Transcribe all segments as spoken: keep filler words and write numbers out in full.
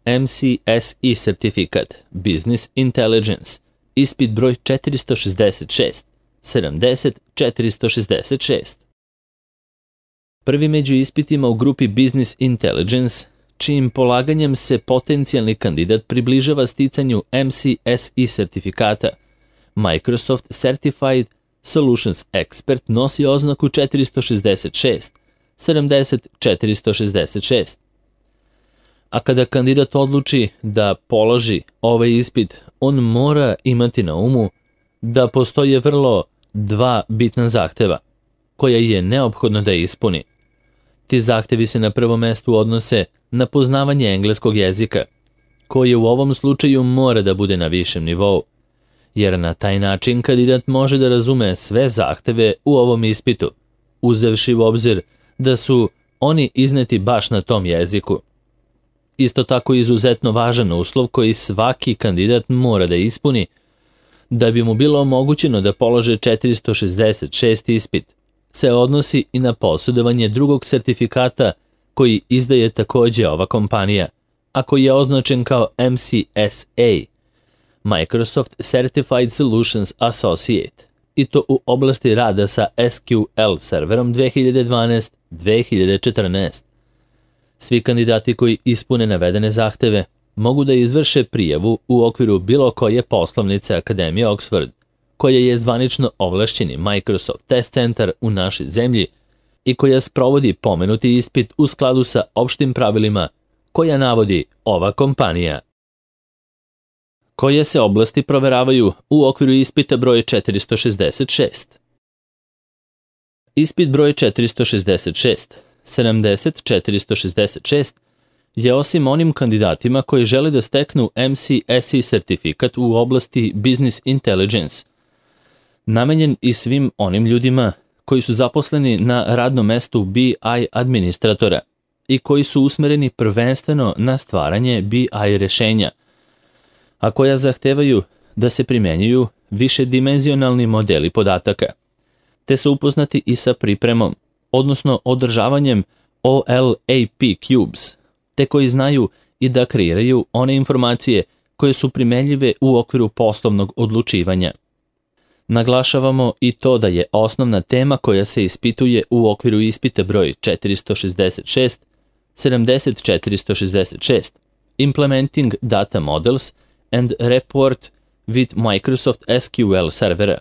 M C S E sertifikat Business Intelligence, ispit broj četiristo šezdeset šest, sedamdeset četiristo šezdeset šest. Prvi među ispitima u grupi Business Intelligence, čijim polaganjem se potencijalni kandidat približava sticanju M C S E sertifikata, Microsoft Certified Solutions Expert nosi oznaku četiristo šezdeset šest, sedamdeset četiristo šezdeset šest. A kada kandidat odluči da položi ovaj ispit, on mora imati na umu da postoje vrlo dva bitna zahteva, koja je neophodno da ispuni. Ti zahtevi se na prvom mestu odnose na poznavanje engleskog jezika, koje u ovom slučaju mora da bude na višem nivou, jer na taj način kandidat može da razume sve zahteve u ovom ispitu, uzevši u obzir da su oni izneti baš na tom jeziku. Isto tako izuzetno važan uslov koji svaki kandidat mora da ispuni da bi mu bilo omogućeno da polože četiristo šezdeset šest ispit, se odnosi i na posjedovanje drugog sertifikata koji izdaje takođe ova kompanija, a koji je označen kao M C S A, Microsoft Certified Solutions Associate, i to u oblasti rada sa S Q L serverom dve hiljade dvanaest do dve hiljade četrnaest. Svi kandidati koji ispune navedene zahteve mogu da izvrše prijavu u okviru bilo koje poslovnice Akademije Oxford, koja je zvanično ovlašćeni Microsoft Test Centar u našoj zemlji i koja sprovodi pomenuti ispit u skladu sa opštim pravilima koja navodi ova kompanija. Koje se oblasti proveravaju u okviru ispita broj četiristo šezdeset šest? Ispit broj četiristo šezdeset šest, sedamdeset četiristo šezdeset šest, je osim onim kandidatima koji žele da steknu M C S E sertifikat u oblasti Business Intelligence, namenjen i svim onim ljudima koji su zaposleni na radnom mestu B I administratora i koji su usmereni prvenstveno na stvaranje B I rešenja, a koja zahtevaju da se primenjuju višedimenzionalni modeli podataka, te su upoznati i sa pripremom, odnosno održavanjem O L A P Cubes, te koji znaju i da kreiraju one informacije koje su primenljive u okviru poslovnog odlučivanja. Naglašavamo i to da je osnovna tema koja se ispituje u okviru ispita broj četiristo šezdeset šest, sedamdeset četiristo šezdeset šest, Implementing Data Models and Report with Microsoft S Q L servera.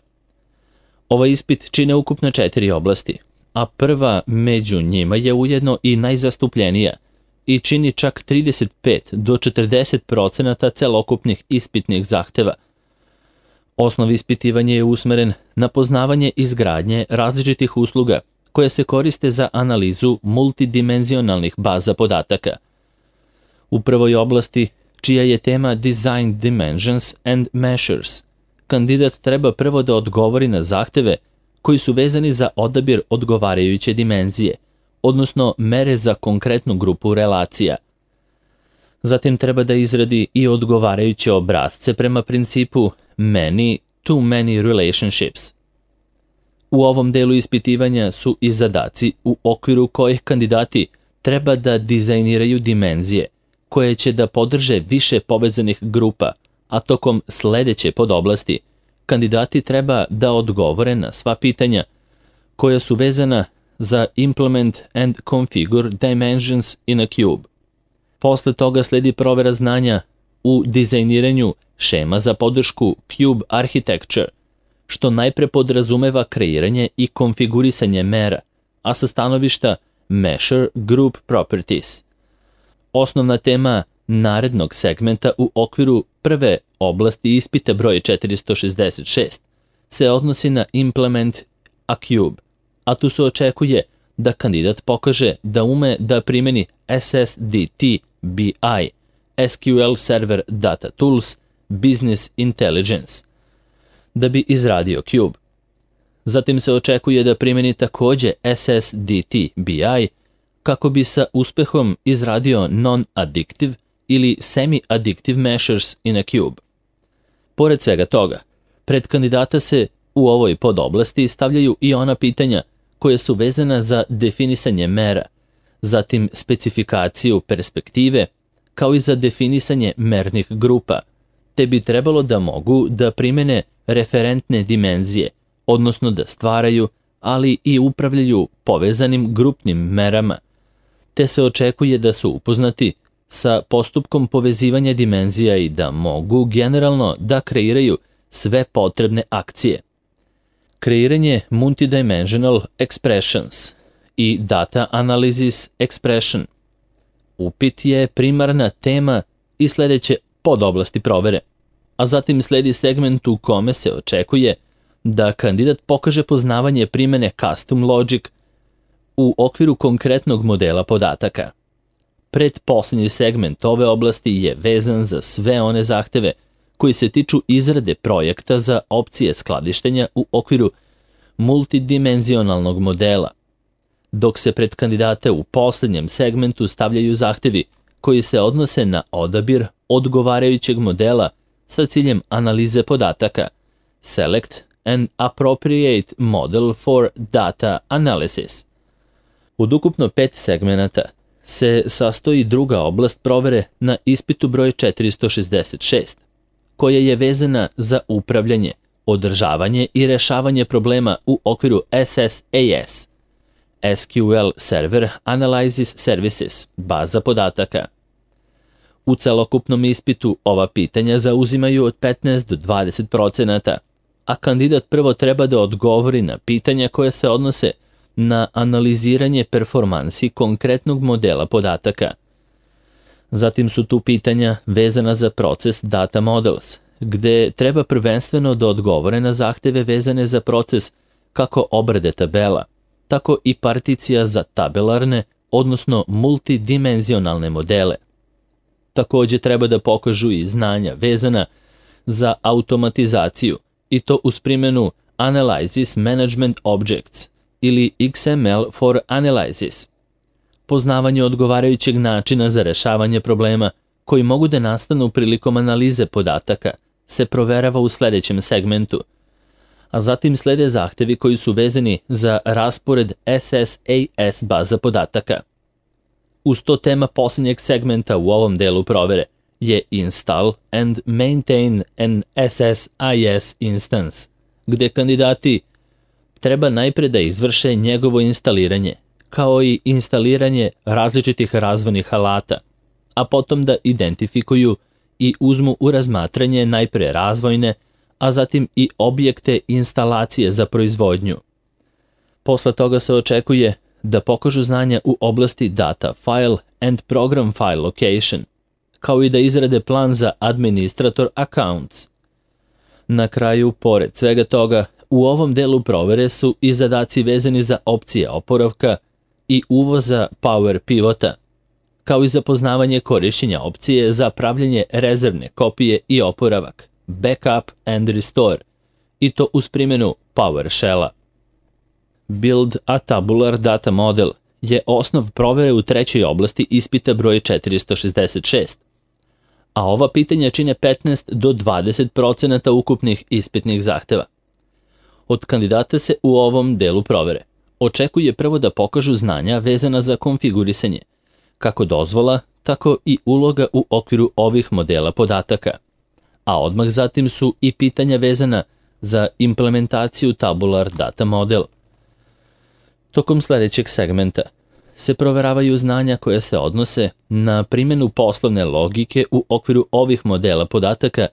Ovaj ispit čine ukupno četiri oblasti, a prva među njima je ujedno i najzastupljenija i čini čak trideset pet do četrdeset procenata celokupnih ispitnih zahteva. Osnov ispitivanja je usmeren na poznavanje izgradnje različitih usluga koje se koriste za analizu multidimenzionalnih baza podataka. U prvoj oblasti, čija je tema Design Dimensions and Measures, kandidat treba prvo da odgovori na zahteve koji su vezani za odabir odgovarajuće dimenzije, odnosno mere za konkretnu grupu relacija. Zatim treba da izradi i odgovarajuće obrasce prema principu many to many relationships. U ovom delu ispitivanja su i zadaci u okviru kojih kandidati treba da dizajniraju dimenzije koje će da podrže više povezanih grupa, a tokom sledeće podoblasti kandidati treba da odgovore na sva pitanja koja su vezana za Implement and Configure Dimensions in a Cube. Posle toga sledi provera znanja u dizajniranju šema za podršku Cube Architecture, što najpre podrazumeva kreiranje i konfigurisanje mera, a sa stanovišta Measure Group Properties. Osnovna tema narednog segmenta u okviru prve oblasti ispita broj četiristo šezdeset šest se odnosi na Implement a Cube, a tu se očekuje da kandidat pokaže da ume da primeni S S D T B I, S Q L Server Data Tools, Business Intelligence, da bi izradio Cube. Zatim se očekuje da primeni takođe S S D T B I kako bi sa uspehom izradio non-addictive ili semi-addictive measures in a Cube. Pored svega toga, pred kandidata se u ovoj podoblasti stavljaju i ona pitanja koje su vezana za definisanje mera, zatim specifikaciju perspektive, kao i za definisanje mernih grupa, te bi trebalo da mogu da primene referentne dimenzije, odnosno da stvaraju, ali i upravljaju povezanim grupnim merama, te se očekuje da su upoznati sa postupkom povezivanja dimenzija i da mogu generalno da kreiraju sve potrebne akcije. Kreiranje multidimensional expressions i data analysis expression. Upit je primarna tema i sledeće podoblasti provere, a zatim sledi segment u kome se očekuje da kandidat pokaže poznavanje primene custom logic u okviru konkretnog modela podataka. Pretposlednji segment ove oblasti je vezan za sve one zahteve koji se tiču izrade projekta za opcije skladištenja u okviru multidimenzionalnog modela, dok se pred kandidate u poslednjem segmentu stavljaju zahtevi koji se odnose na odabir odgovarajućeg modela sa ciljem analize podataka, select an appropriate model for data analysis. Od ukupno pet segmenata se sastoji druga oblast provere na ispitu broj četiristo šezdeset šest, koja je vezana za upravljanje, održavanje i rešavanje problema u okviru S S A S, S Q L Server Analysis Services, baza podataka. U celokupnom ispitu ova pitanja zauzimaju od petnaest do dvadeset procenata, a kandidat prvo treba da odgovori na pitanja koje se odnose na analiziranje performansi konkretnog modela podataka. Zatim su tu pitanja vezana za proces data models, gde treba prvenstveno da odgovore na zahteve vezane za proces kako obrade tabela, tako i particija za tabelarne, odnosno multidimenzionalne modele. Takođe treba da pokažu i znanja vezana za automatizaciju, i to uz primjenu Analysis Management Objects ili X M L for Analysis. Poznavanje odgovarajućeg načina za rešavanje problema koji mogu da nastanu prilikom analize podataka se proverava u sledećem segmentu, a zatim slede zahtevi koji su vezani za raspored S S A S baza podataka. Uz to tema posljednjeg segmenta u ovom delu provere je Install and Maintain an S S I S Instance, gde kandidati treba najpre da izvrše njegovo instaliranje, kao i instaliranje različitih razvojnih alata, a potom da identifikuju i uzmu u razmatranje najpre razvojne, a zatim i objekte instalacije za proizvodnju. Posle toga se očekuje da pokažu znanja u oblasti Data File and Program File Location, kao i da izrade plan za Administrator Accounts. Na kraju, pored svega toga, u ovom delu provere su i zadaci vezani za opcije oporavka i uvoza Power Pivota, kao i za poznavanje korišćenja opcije za pravljenje rezervne kopije i oporavak, Backup and Restore, i to uz primjenu PowerShell-a. Build a Tabular Data Model je osnov provere u trećoj oblasti ispita broj četiristo šezdeset šest, a ova pitanja čine petnaest do dvadeset procenata ukupnih ispitnih zahteva. Od kandidata se u ovom delu provere očekuje prvo da pokažu znanja vezana za konfigurisanje, kako dozvola, tako i uloga u okviru ovih modela podataka, a odmah zatim su i pitanja vezana za implementaciju Tabular Data Model. Tokom sledećeg segmenta se proveravaju znanja koje se odnose na primjenu poslovne logike u okviru ovih modela podataka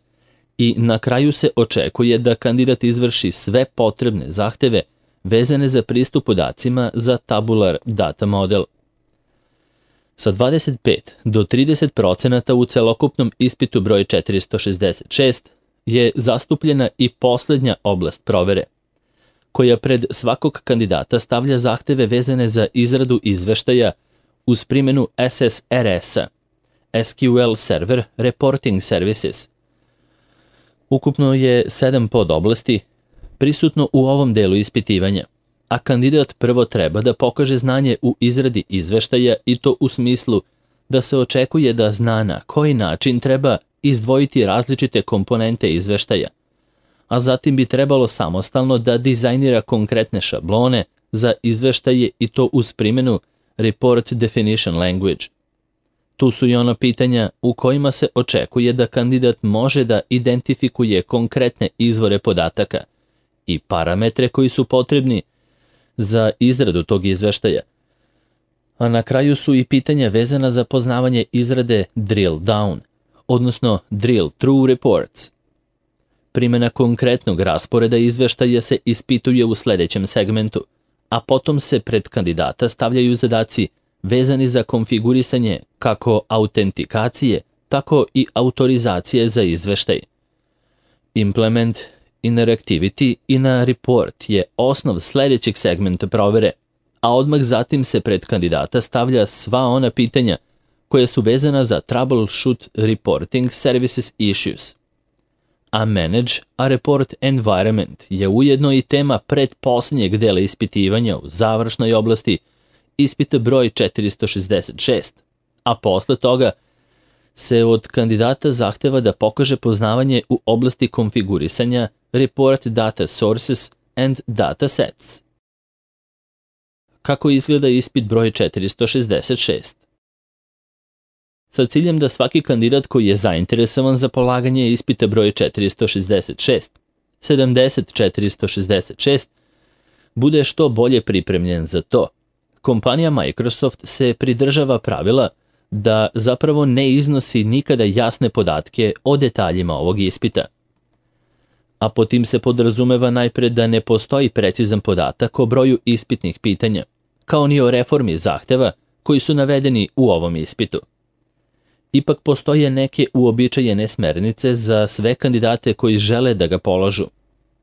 i na kraju se očekuje da kandidat izvrši sve potrebne zahteve vezane za pristup podacima za Tabular Data Model. Sa dvadeset pet do trideset procenata u celokupnom ispitu broj četiristo šezdeset šest je zastupljena i poslednja oblast provere, koja pred svakog kandidata stavlja zahteve vezane za izradu izveštaja uz primjenu S S R S-a, S Q L Server Reporting Services. Ukupno je sedam podoblasti prisutno u ovom delu ispitivanja, a kandidat prvo treba da pokaže znanje u izradi izveštaja i to u smislu da se očekuje da zna na koji način treba izdvojiti različite komponente izveštaja, a zatim bi trebalo samostalno da dizajnira konkretne šablone za izveštaje i to uz primjenu Report Definition Language. Tu su i ona pitanja u kojima se očekuje da kandidat može da identifikuje konkretne izvore podataka i parametre koji su potrebni za izradu tog izveštaja. A na kraju su i pitanja vezana za poznavanje izrade drill down, odnosno drill through reports. Primjena konkretnog rasporeda izveštaja se ispituje u sledećem segmentu, a potom se pred kandidata stavljaju zadaci vezani za konfigurisanje kako autentikacije, tako i autorizacije za izveštaj. Implement interactivity in a report je osnov sledećeg segmenta provere, a odmah zatim se pred kandidata stavlja sva ona pitanja koja su vezana za troubleshoot reporting services issues. A manage a report environment je ujedno i tema pretposlednjeg dela ispitivanja u završnoj oblasti ispita broj četiristo šezdeset šest, a posle toga se od kandidata zahteva da pokaže poznavanje u oblasti konfigurisanja report data sources and data sets. Kako izgleda ispit broj četiristo šezdeset šest? Sa ciljem da svaki kandidat koji je zainteresovan za polaganje ispita broj četiristo šezdeset šest, sedamdeset četiristo šezdeset šest, bude što bolje pripremljen za to, kompanija Microsoft se pridržava pravila da zapravo ne iznosi nikada jasne podatke o detaljima ovog ispita. A po tim se podrazumeva najpre da ne postoji precizan podatak o broju ispitnih pitanja, kao ni o reformi zahteva koji su navedeni u ovom ispitu. Ipak postoje neke uobičajene smernice za sve kandidate koji žele da ga polažu,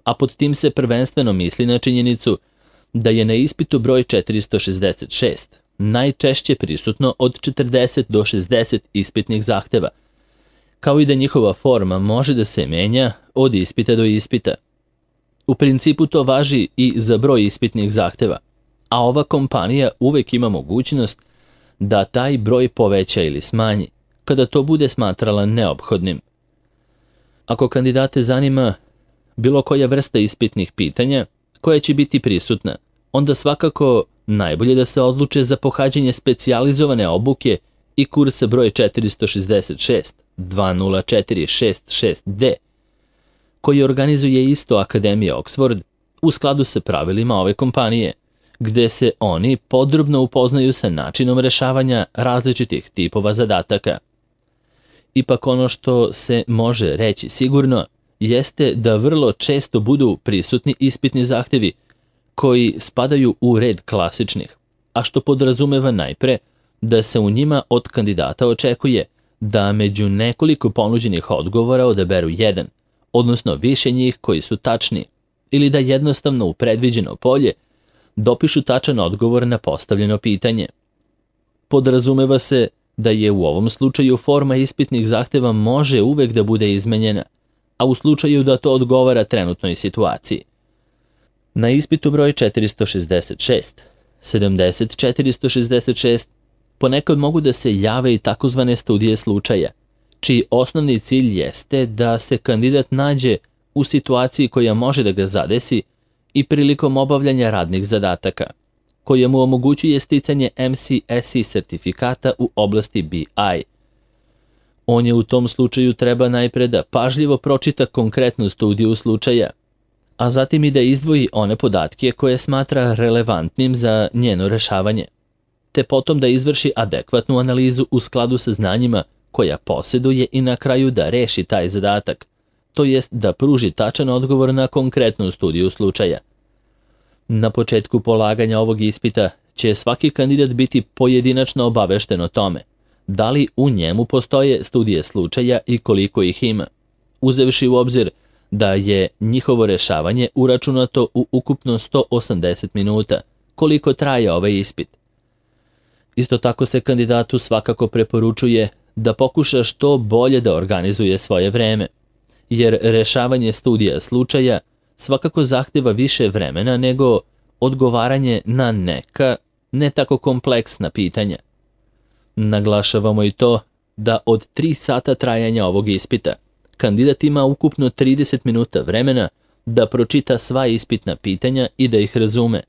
a pod tim se prvenstveno misli na činjenicu da je na ispitu broj četiristo šezdeset šest najčešće prisutno od četrdeset do šezdeset ispitnih zahteva, kao i da njihova forma može da se menja od ispita do ispita. U principu to važi i za broj ispitnih zahteva, a ova kompanija uvek ima mogućnost da taj broj poveća ili smanji, kada to bude smatrala neophodnim. Ako kandidate zanima bilo koja vrsta ispitnih pitanja koja će biti prisutna, onda svakako najbolje da se odluče za pohađanje specijalizovane obuke i kursa broj četiristo šezdeset šest dva nula četiri šest šest D, koji organizuje isto Akademija Oxford u skladu sa pravilima ove kompanije, gde se oni podrobno upoznaju sa načinom rešavanja različitih tipova zadataka. Ipak ono što se može reći sigurno jeste da vrlo često budu prisutni ispitni zahtevi koji spadaju u red klasičnih, a što podrazumeva najpre da se u njima od kandidata očekuje da među nekoliko ponuđenih odgovora odaberu jedan, odnosno više njih koji su tačni, ili da jednostavno u predviđeno polje dopišu tačan odgovor na postavljeno pitanje. Podrazumeva se da je u ovom slučaju forma ispitnih zahteva može uvek da bude izmenjena, a u slučaju da to odgovara trenutnoj situaciji. Na ispitu broj četiristo šezdeset šest, sedamdeset četiristo šezdeset šest ponekad mogu da se jave i takozvane studije slučaja, čiji osnovni cilj jeste da se kandidat nađe u situaciji koja može da ga zadesi i prilikom obavljanja radnih zadataka, koje mu omogućuje sticanje M C S E sertifikata u oblasti B I. On je u tom slučaju treba najpre da pažljivo pročita konkretnu studiju slučaja, a zatim i da izdvoji one podatke koje smatra relevantnim za njeno rešavanje, te potom da izvrši adekvatnu analizu u skladu sa znanjima koja posjeduje i na kraju da reši taj zadatak, to jest da pruži tačan odgovor na konkretnu studiju slučaja. Na početku polaganja ovog ispita će svaki kandidat biti pojedinačno obavešten o tome da li u njemu postoje studije slučaja i koliko ih ima, uzevši u obzir da je njihovo rešavanje uračunato u ukupno sto osamdeset minuta, koliko traje ovaj ispit. Isto tako se kandidatu svakako preporučuje da pokuša što bolje da organizuje svoje vreme, jer rešavanje studija slučaja svakako zahteva više vremena nego odgovaranje na neka ne tako kompleksna pitanja. Naglašavamo i to da od tri sata trajanja ovog ispita kandidat ima ukupno trideset minuta vremena da pročita sva ispitna pitanja i da ih razume,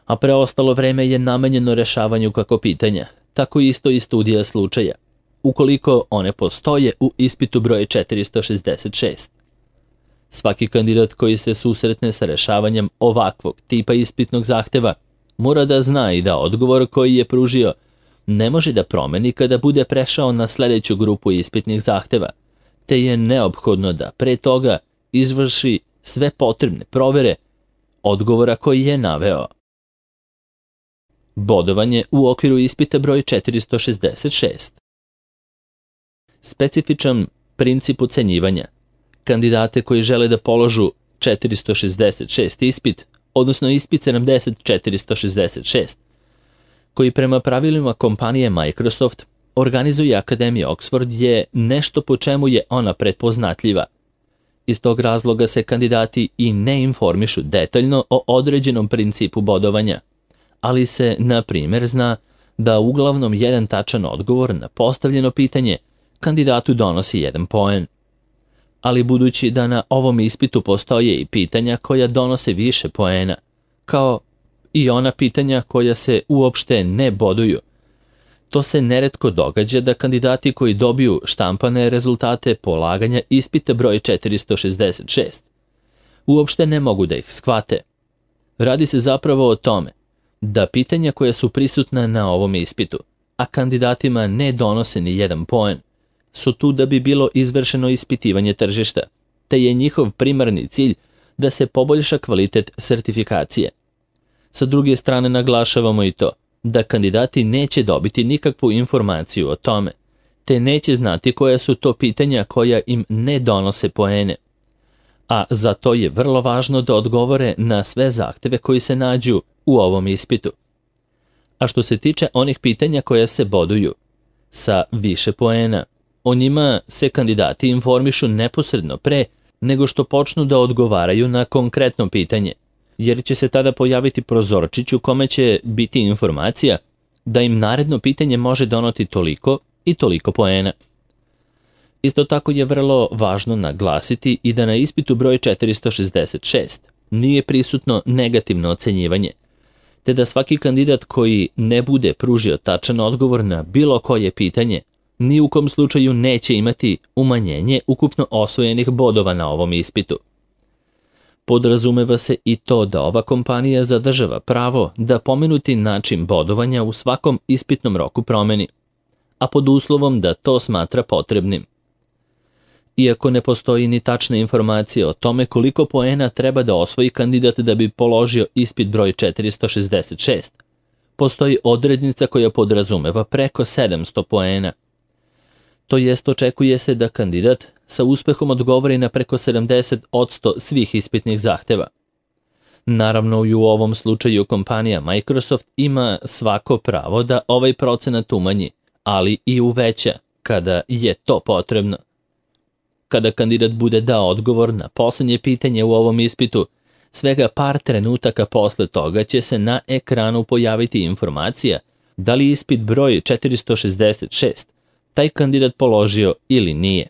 a preostalo vreme je namenjeno rešavanju kako pitanja, tako isto i studija slučaja, ukoliko one postoje u ispitu broj četiristo šezdeset šest. Svaki kandidat koji se susretne sa rešavanjem ovakvog tipa ispitnog zahteva mora da zna i da odgovor koji je pružio ne može da promeni kada bude prešao na sledeću grupu ispitnih zahteva, te je neophodno da pre toga izvrši sve potrebne provere odgovora koji je naveo. Bodovanje u okviru ispita broj četiristo šezdeset šest. Specifičan princip ocenjivanja. Kandidate koji žele da položu četiristo šezdeset šest ispit, odnosno ispit sedamdeset četiristo šezdeset šest, koji prema pravilima kompanije Microsoft organizuje Akademija Oxford, je nešto po čemu je ona prepoznatljiva. Iz tog razloga se kandidati i ne informišu detaljno o određenom principu bodovanja, ali se, na primjer, zna da uglavnom jedan tačan odgovor na postavljeno pitanje kandidatu donosi jedan poen. Ali budući da na ovom ispitu postoje i pitanja koja donose više poena, kao i ona pitanja koja se uopšte ne boduju, to se neretko događa da kandidati koji dobiju štampane rezultate polaganja ispita broj četiristo šezdeset šest uopšte ne mogu da ih shvate. Radi se zapravo o tome da pitanja koja su prisutna na ovom ispitu, a kandidatima ne donose ni jedan poen, su tu da bi bilo izvršeno ispitivanje tržišta, te je njihov primarni cilj da se poboljša kvalitet sertifikacije. Sa druge strane naglašavamo i to da kandidati neće dobiti nikakvu informaciju o tome, te neće znati koja su to pitanja koja im ne donose poene. A zato je vrlo važno da odgovore na sve zahteve koji se nađu u ovom ispitu. A što se tiče onih pitanja koja se boduju sa više poena, o njima se kandidati informišu neposredno pre nego što počnu da odgovaraju na konkretno pitanje, jer će se tada pojaviti prozorčić u kome će biti informacija da im naredno pitanje može donoti toliko i toliko poena. Isto tako je vrlo važno naglasiti i da na ispitu broj četiristo šezdeset šest nije prisutno negativno ocenjivanje, te da svaki kandidat koji ne bude pružio tačan odgovor na bilo koje pitanje ni u kom slučaju neće imati umanjenje ukupno osvojenih bodova na ovom ispitu. Podrazumeva se i to da ova kompanija zadržava pravo da pomenuti način bodovanja u svakom ispitnom roku promeni, a pod uslovom da to smatra potrebnim. Iako ne postoji ni tačna informacija o tome koliko poena treba da osvoji kandidat da bi položio ispit broj četiristo šezdeset šest, postoji odrednica koja podrazumeva preko sedamsto poena. To jest, očekuje se da kandidat sa uspehom odgovori na preko sedamdeset posto svih ispitnih zahteva. Naravno, i u ovom slučaju kompanija Microsoft ima svako pravo da ovaj procenat umanji, ali i uveća kada je to potrebno. Kada kandidat bude dao odgovor na poslednje pitanje u ovom ispitu, svega par trenutaka posle toga će se na ekranu pojaviti informacija da li ispit broj četiristo šezdeset šest taj kandidat položio ili nije.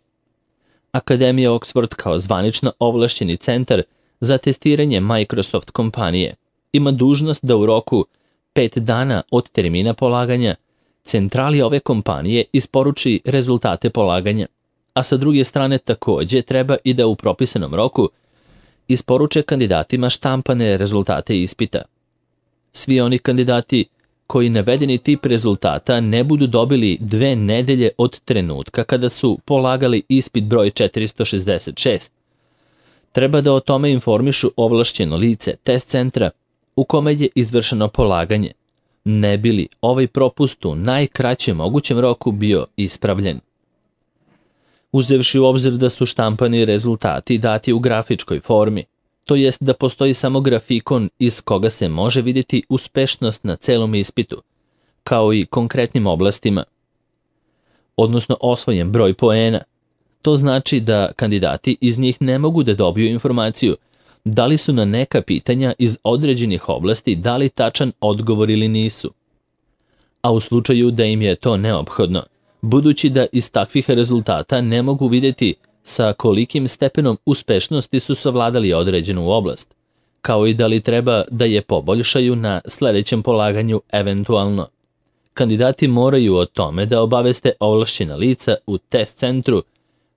Akademija Oxford kao zvanično ovlašćeni centar za testiranje Microsoft kompanije ima dužnost da u roku pet dana od termina polaganja centrali ove kompanije isporuči rezultate polaganja, a sa druge strane takođe treba i da u propisanom roku isporuče kandidatima štampane rezultate ispita. Svi oni kandidati koji navedeni tip rezultata ne budu dobili dve nedelje od trenutka kada su polagali ispit broj četiristo šezdeset šest, treba da o tome informišu ovlašćeno lice test centra u kome je izvršeno polaganje, ne bi li ovaj propust u najkraćem mogućem roku bio ispravljen. Uzevši u obzir da su štampani rezultati dati u grafičkoj formi, to jest da postoji samo grafikon iz koga se može vidjeti uspešnost na celom ispitu, kao i konkretnim oblastima, odnosno osvojen broj poena. To znači da kandidati iz njih ne mogu da dobiju informaciju da li su na neka pitanja iz određenih oblasti dali tačan odgovor ili nisu. A u slučaju da im je to neophodno, budući da iz takvih rezultata ne mogu vidjeti sa kolikim stepenom uspešnosti su savladali određenu oblast, kao i da li treba da je poboljšaju na sledećem polaganju eventualno. kandidati moraju o tome da obaveste ovlašćena lica u test centru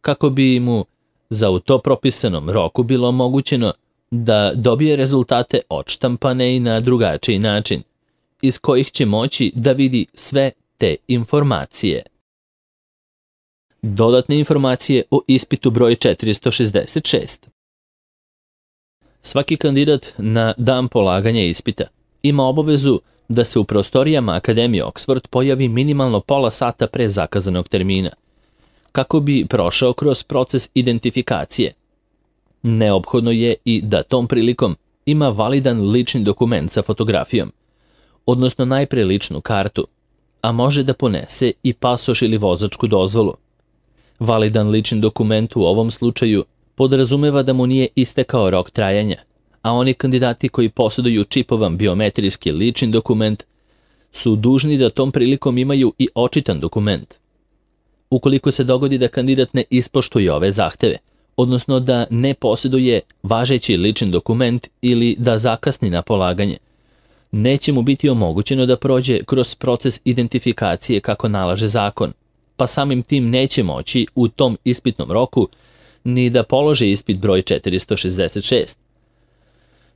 kako bi mu za u to propisanom roku bilo omogućeno da dobije rezultate odštampane i na drugačiji način, iz kojih će moći da vidi sve te informacije. Dodatne informacije o ispitu broj četiristo šezdeset šest. Svaki kandidat na dan polaganja ispita ima obavezu da se u prostorijama Akademije Oxford pojavi minimalno pola sata pre zakazanog termina, kako bi prošao kroz proces identifikacije. Neophodno je i da tom prilikom ima validan lični dokument sa fotografijom, odnosno najpre ličnu kartu, a može da ponese i pasoš ili vozačku dozvolu. Validan lični dokument u ovom slučaju podrazumeva da mu nije istekao rok trajanja, a oni kandidati koji posjeduju čipovan biometrijski lični dokument su dužni da tom prilikom imaju i očitan dokument. Ukoliko se dogodi da kandidat ne ispoštuje ove zahteve, odnosno da ne posjeduje važeći lični dokument ili da zakasni na polaganje, neće mu biti omogućeno da prođe kroz proces identifikacije kako nalaže zakon, pa samim tim neće moći u tom ispitnom roku ni da položi ispit broj četiristo šezdeset šest.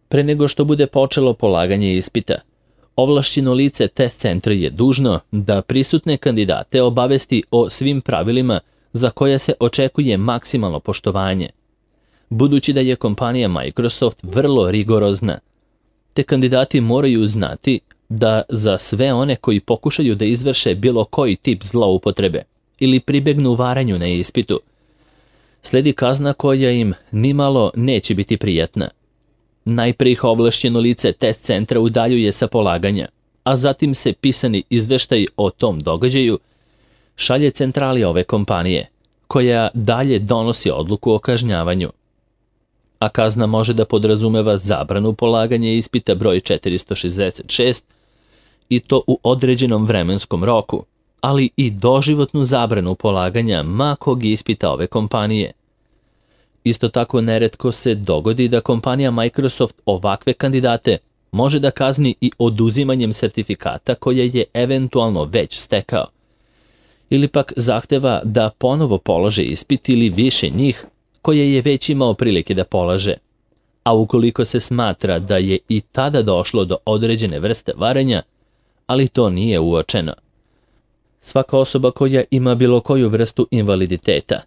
Pre nego što bude počelo polaganje ispita, ovlašćeno lice test centra je dužno da prisutne kandidate obavesti o svim pravilima za koje se očekuje maksimalno poštovanje. Budući da je kompanija Microsoft vrlo rigorozna, te kandidati moraju znati da za sve one koji pokušaju da izvrše bilo koji tip zloupotrebe ili pribegnu varanju na ispitu, sledi kazna koja im nimalo neće biti prijatna. Najprije ih ovlašćeno lice test centra udaljuje sa polaganja, a zatim se pisani izveštaj o tom događaju šalje centrali ove kompanije, koja dalje donosi odluku o kažnjavanju. A kazna može da podrazumeva zabranu polaganja ispita broj četiristo šezdeset šest i to u određenom vremenskom roku, ali i doživotnu zabranu polaganja ma kog ispita ove kompanije. Isto tako neretko se dogodi da kompanija Microsoft ovakve kandidate može da kazni i oduzimanjem sertifikata koje je eventualno već stekao, ili pak zahteva da ponovo polože ispit ili više njih koje je već imao prilike da polaže, a ukoliko se smatra da je i tada došlo do određene vrste varanja, ali to nije uočeno. Svaka osoba koja ima bilo koju vrstu invaliditeta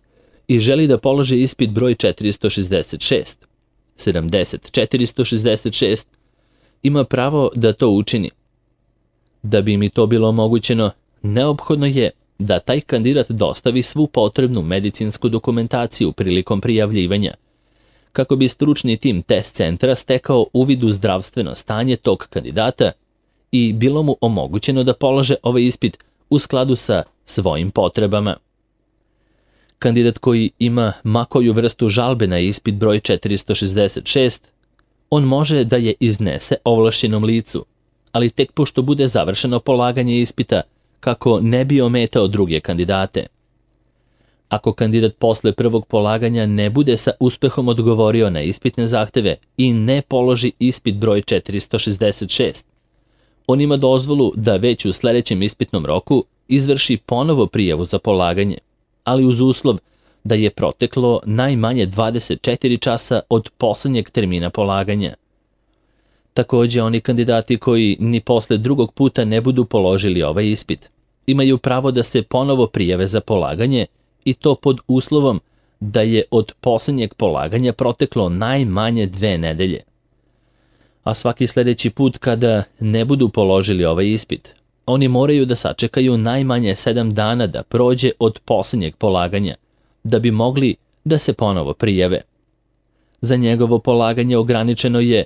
i želi da položi ispit broj četiristo šezdeset šest, sedamdeset četiristo šezdeset šest, ima pravo da to učini. Da bi mi to bilo omogućeno, neophodno je da taj kandidat dostavi svu potrebnu medicinsku dokumentaciju prilikom prijavljivanja, kako bi stručni tim test centra stekao uvid u zdravstveno stanje tog kandidata i bilo mu omogućeno da polože ovaj ispit u skladu sa svojim potrebama. Kandidat koji ima ma koju vrstu žalbe na ispit broj četiristo šezdeset šest, on može da je iznese ovlašćenom licu, ali tek pošto bude završeno polaganje ispita, kako ne bi ometao druge kandidate. Ako kandidat posle prvog polaganja ne bude sa uspehom odgovorio na ispitne zahteve i ne položi ispit broj četiristo šezdeset šest, on ima dozvolu da već u sledećem ispitnom roku izvrši ponovo prijavu za polaganje, ali uz uslov da je proteklo najmanje dvadeset četiri časa od poslednjeg termina polaganja. Takođe, oni kandidati koji ni posle drugog puta ne budu položili ovaj ispit, imaju pravo da se ponovo prijave za polaganje i to pod uslovom da je od poslednjeg polaganja proteklo najmanje dve nedelje. A svaki sledeći put kada ne budu položili ovaj ispit, oni moraju da sačekaju najmanje sedam dana da prođe od poslednjeg polaganja, da bi mogli da se ponovo prijave. Za njegovo polaganje ograničeno je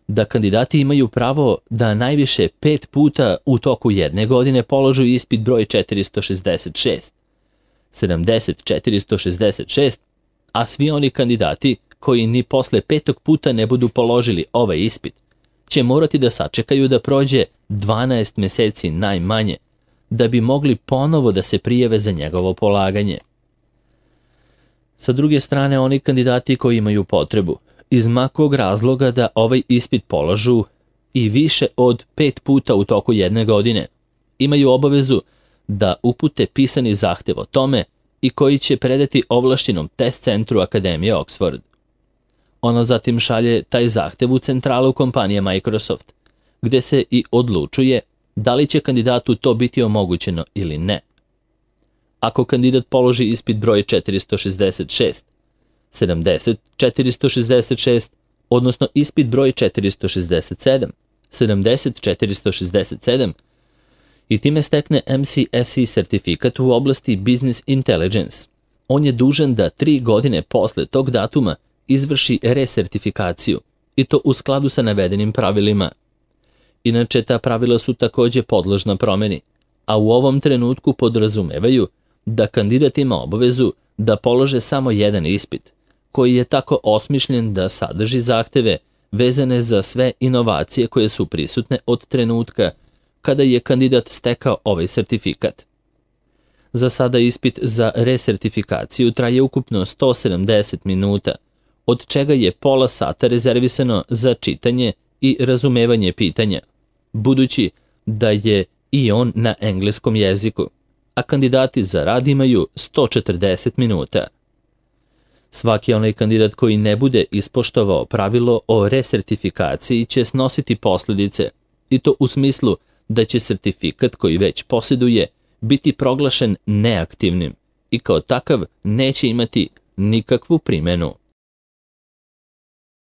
da kandidati imaju pravo da najviše pet puta u toku jedne godine položu ispit broj četiristo šezdeset šest, sedamdeset četiristo šezdeset šest, a svi oni kandidati koji ni posle petog puta ne budu položili ovaj ispit, će morati da sačekaju da prođe dvanaest meseci najmanje, da bi mogli ponovo da se prijave za njegovo polaganje. Sa druge strane, oni kandidati koji imaju potrebu iz ma kog razloga da ovaj ispit položu i više od pet puta u toku jedne godine imaju obavezu da upute pisani zahtev o tome i koji će predati ovlašćenom test centru Akademije Oxford. Ona zatim šalje taj zahtev u centralu kompanije Microsoft, gde se i odlučuje da li će kandidatu to biti omogućeno ili ne. Ako kandidat položi ispit broj četiristo šezdeset šest, sedamdeset četiristo šezdeset šest, odnosno ispit broj četiristo šezdeset sedam, sedamdeset četiristo šezdeset sedam, i time stekne M C S E sertifikat u oblasti Business Intelligence, on je dužan da tri godine posle tog datuma izvrši resertifikaciju, i to u skladu sa navedenim pravilima. Inače, ta pravila su takođe podložna promeni, a u ovom trenutku podrazumevaju da kandidat ima obavezu da polože samo jedan ispit, koji je tako osmišljen da sadrži zahteve vezane za sve inovacije koje su prisutne od trenutka kada je kandidat stekao ovaj sertifikat. Za sada ispit za resertifikaciju traje ukupno sto sedamdeset minuta, od čega je pola sata rezervisano za čitanje i razumevanje pitanja, budući da je i on na engleskom jeziku, a kandidati za rad imaju sto četrdeset minuta. Svaki onaj kandidat koji ne bude ispoštovao pravilo o resertifikaciji će snositi posljedice, i to u smislu da će sertifikat koji već posjeduje biti proglašen neaktivnim i kao takav neće imati nikakvu primenu.